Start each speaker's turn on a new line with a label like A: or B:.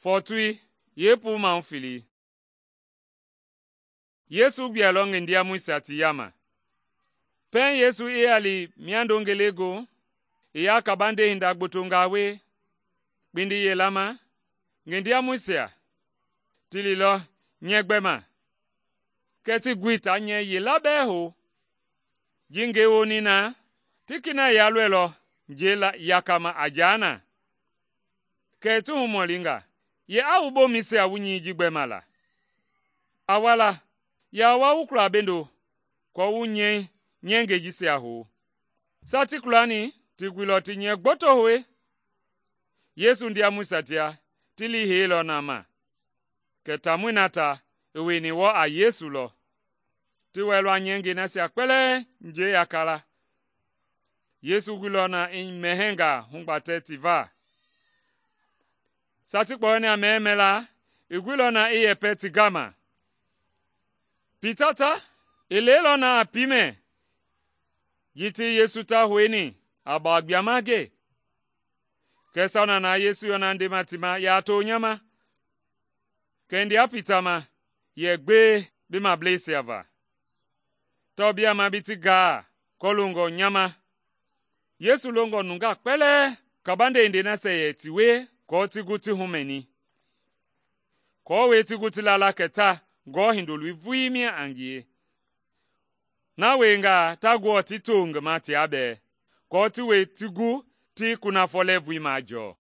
A: Fɔɔtui yeepuu mahu felei. Yesu gbuɛilɔ ngendiamɔisia ti yaama. Pɛiŋ Yesu i ya li miando ngelegoohu, i ya kabande hinda gbotongaa wie kpindi yila ma, ngendiamɔisia ti liilɔ nyɛɛ gbɛma, kɛɛ tii gui taa nyɛɛ yila bɛɛ hou. Ji ngei woni na, ti kina yalɔɛilɔ njɛi yakama a jaa na. Kɛ i ti humɔlinga, “Ye a wu bomɛisia wu nyɛi ji gbɛma la? A wala, yaa wa wu kula bendo aako wu nyɛingɛi jisia hou.” Saa ti kulani, ti guilɔ ti nyɛɛ gboto hoe. Yesu ndiamɔisia tia ti lii heilɔ na ma, kɛ taamɔi na ta i wieni wɔɔ a Yesu lɔ. Ti wɛilɔ a nyɛingɛi nasia kpɛlɛɛ njɛi yaka la. Yesu guilɔ na i mɛhɛɛngaa hugbatɛ ti va. Saa ti kpɔyɔni a mɛhɛɛ mɛla, i guilɔ na i yɛpɛ ti gama. Pita ta, i leilɔ na a piimɛ ji ti Yesu ta houni a bawa gbiama gee. Kɛɛ sauna na Yesu yɔna ndema ti ma, “Yaa to nya ma.” Kɛ i ndea Pita ma yɛ, “Gbee bi mableisia va, tawao biaa ma bi ti gaa kɔloongɔ nya ma.” Yesu longɔ nungaa kpɛlɛɛ kabande hindei nasia yɛ ti wie aako ti gu ti humɛni, aako ti gu ti la la kɛ ta Ngewɔ Hindoloi vulii mia a ngie. Na wiengaa ta Ngewɔ ti to ngi ma tia bɛɛ, aako ti wie ti gu ti kunafɔ lɛɛvui majɔɔ.